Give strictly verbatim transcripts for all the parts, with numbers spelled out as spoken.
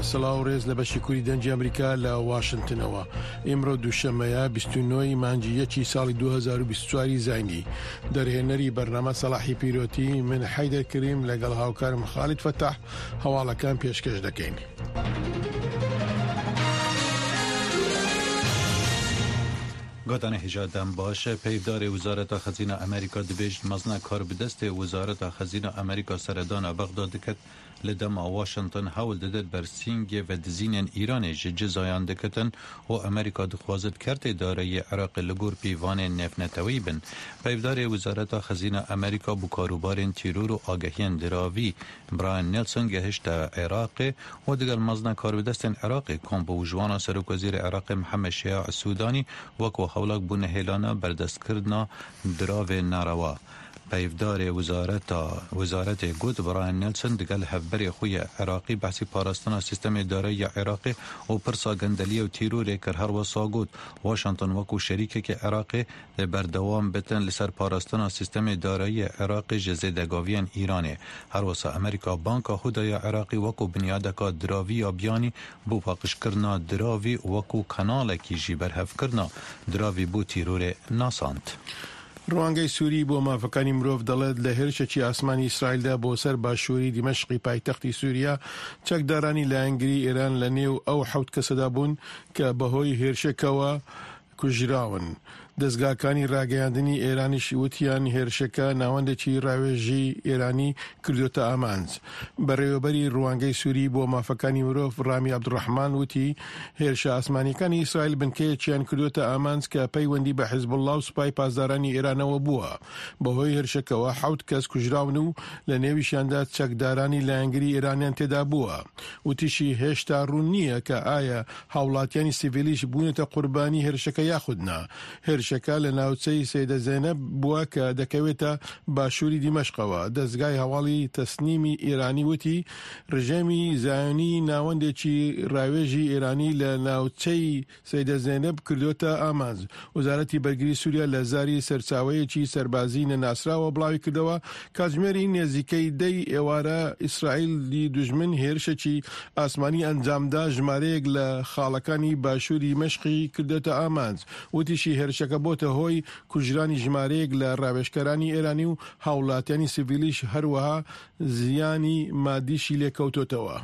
سڵاو و ڕێز لە بەشی کوردی دەنگی ئەمریکا لە واشنتنەوە. ئیمڕۆ دووشەممەیە، بیست و نۆی مانگی یەکی ساڵی دوو هەزار و بیست و چواری زاینی. دەرهێنەری بەرنامە سەلاحی پیرۆتی، من حەیدەر کریم لەگەڵ هاوکارم خالید فەتاح هەواڵەکان پێشکەش دەکەین. Gotanê hêja dem baş e. Peyvdarê Wezareta Xezîna Amerîka dibêjin mezna karbidestê Wezareta Xezîna Amerîka seredana Bexda diket, li dema Washington hewl didit bersîngê vedizînên Îranê ji cizayan dikitin û Amerîka dixwazit kertê darayî Iraqê li gor pîvanên nêvneteweyî bin. Peyvdarê Wezareta Xezîna Amerîka bo karûbarên tîror û agehiyên diravî Brian Nelson gehişte Iraqê û digel mezna karbidestên Iraqê kom bû û ji wana Serokwezîrê Iraqê Mihemed Şia Sûdanî weko hewlak bo nehêlana berdestkirina diravê nerewa. Peyvdarê wezareta, wezaretê got, Brian Nelson digel hevberê xwe yê Iraqî behsî parastina sîstemê darayî ya Iraqê û pirsa gendeliyê û tîrorê kir. Her wisa got, Washington weko şerîkekê Iraqê dê berdewam bitin li ser parastina sîstemê darayî ya Iraqê ji zêdegaviyên Îranê. Her wisa Amerîka banka xwe daye Iraqî weko binyadeka diravî ya biyanî bo paqijkirina diravî û weko kanalekî jî berhevkirina diravî bo tîrorê nasand. ڕوانگەی سووری بۆ مافەکانی مرۆڤ دەڵێت لە هێرشێکی ئاسمانی ئیسرائیلدا بۆ سەر باشووری دیمەشقی پایتەختی سووریا، چەکدارانی لایەنگری ئێران لە نێو ئەو حەوت کەسەدا بوون کە بەهۆی هێرشەکەوە کوژراون. دەستگاکانی ڕاگەیاندنی ئێرانیش وتیان هێرشەکە ناوەندێکی ڕاوێژی ئێرانی کردوتە ئامانج. بەڕێوەبەری ڕوانگەی سووری بۆ مافەکانی مرۆڤ ڕامی عەبدوڕەحمان وتی هێرشە ئاسمانیەکانی ئیسرائیل بنکەیەکیان کردوتە ئامانج کە پەیوەندی بە حیزبوڵڵا و سوپای پاسدارانی ئێرانەوە بووە. بەهۆی هێرشەکەوە حەوت کەس کوژراون و لە نێویشیاندا چەکدارانی لایەنگری ئێرانیان تێدا بووە. وتیشی هێشتا ڕوون نییە کە ئایا هاوڵاتیانی سیڤیلیش بوونەتە قوربانی هێرشەکە یاخود نا. هێرشەکە لە ناوچەی سەیدە زەینەب بووە کە دەکەوێتە باشووری دیمەشقەوە. دەستگای هەواڵی تەسنیمی ئێرانی وتی ڕژێمی زایۆنی ناوەندێکی ڕاوێژی ئێرانی لە ناوچەی سەیدە زەینەب کردوتە ئامانج. وەزارەتی بەرگری سووریا لە زاری سەرچاوەیەکی سەربازی نەناسراوە بڵاوی کردەوە، کاتژمێری نێزیکەی دەی ئێوارە ئیسرائیلی دوژمن هێرشێکی ئاسمانی ئەنجامدا، ژمارەیەک لە خاڵەکانی باشووری مەشقی کردێتە ئامانج. وتیشی هێرشەکە بۆتە هۆی کوژرانی ژمارەیەک لە ڕاوێژکەرانی ئێرانی و هاوڵاتیانی سیڤیلیش، هەروەها زیانی مادیشی لێکەوتۆتەوە.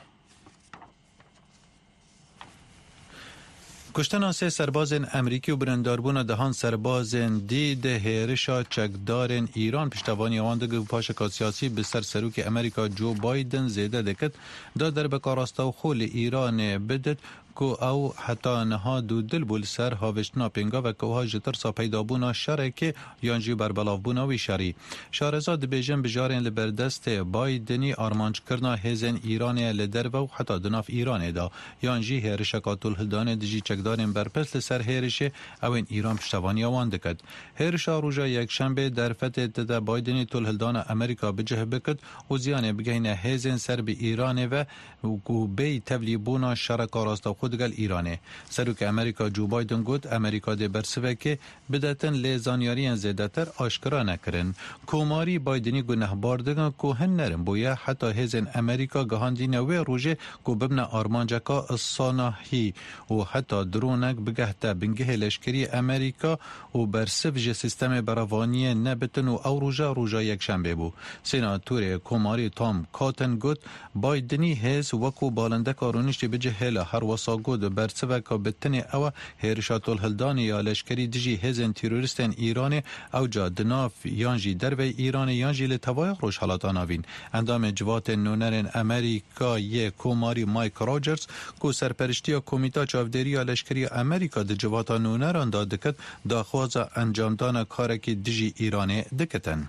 Kuştina sê serbazên Amerîkî û birîndarbûna dehan serbazên dî di hêrişa çekdarên Îran piştevaniya wan digir û paşeka siyasî bi ser serokê Amerîka Joe Biden zêde dikit, da derbeka rastewxo li Îranê bidit ku ew heta niha dûdil bû li ser havêştina pêngaveke wiha ji tirsa peydabûna şerekê yan jî berbelavbûna wî şerî. Şareza dibêjin bijarên li ber destê Bidenî armanckirina hêzên Îranê ye li derve û heta di nav Îranê de, yan jî hêrişeka tolhildanê dijî çekdarên berpirs li ser hêrişê ew ên Îran piştevaniya wan dikit. Hêrişa roja Yekşembê derfetê dide Bidenî tolhildana Amerîka bi cih bikit û ziyanê bigehîne hêzên ser bi Îranê ve û ku bêyî tevlîbûna şereka rastewxo digel Îranê. Serokê Amerîka Joe Biden got, Amerîka dê bersivekê bidetin, lê zanyariyên zêdetir aşkera nekirin. Komarî Bidenî gunehbar dikin ku hin nerin bûye heta hêzên Amerîka gihandîne wê rojê ku bibne armanceka sanahî û heta dronek bigehte bingehê leşkerî Amerîka û bersiv ji sîstemê berevaniyê nebitin û ew roja, roja Yekşembê bû. Senatorê Komarî Tom Cotton got, Bidenî hêz wekû balindeka rûniştî bicihêla, her wesa got, bersiveka bi tinê ew e, hêrişa tolhildanê ya leşkerî dijî hêzên terorîstên Îranê, ewca di nav yan jî derveyî Îranê yan jî li tevaya Rojhelata Navîn. Endamê Civatên Nûnerên Amerîka yê Komarî Mike Rogers, ku serperiştiya Komîta Çavdêrî ya Leşkerî ya Amerîka di Civata Nûneran de dikit, daxwaza encamdana karekî dijî Îranê dikitin.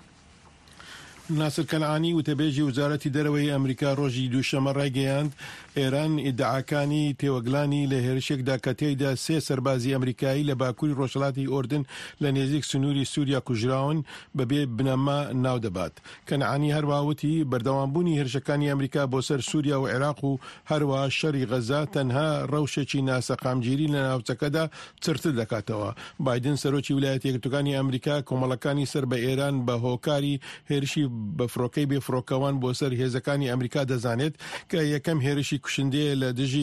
ناسر کەنعانی، وتەبێژی وزارەتی دەرەوەی ئەمریکا، ڕۆژی دووشەممە ڕایگەیاند ئێران ئیدعاکانی تێوەگلانی لە هێرشێکدا کە تێیدا سێ سەربازی ئەمریکایی لە باکووری ڕۆژهەڵاتی ئوردن لە نێزیک سنووری سووریا کوژراون، بەبێ بنەما ناو دەبات. کەنعانی هەروەها وتی بەردەوامبوونی هێرشەکانی ئەمریکا بۆ سەر سووریا و عێراق و هەروەها شەڕی غەزا تەنها ڕەوشێکی ناسەقامگیری لە ناوچەکەدا چڕتر دەکاتەوە. بایدن، سەرۆکی ویلایەتە یەکگرتووەکانی ئەمریکا، کۆمەڵەکانی سەر بە ئێران بە هۆکاری هێرشی بە فڕۆکەی بێ فڕۆکەوان بۆ سەر هێزەکانی ئەمریکا دەزانێت کە یەکەم هێرشی کوشندەیە لە دژی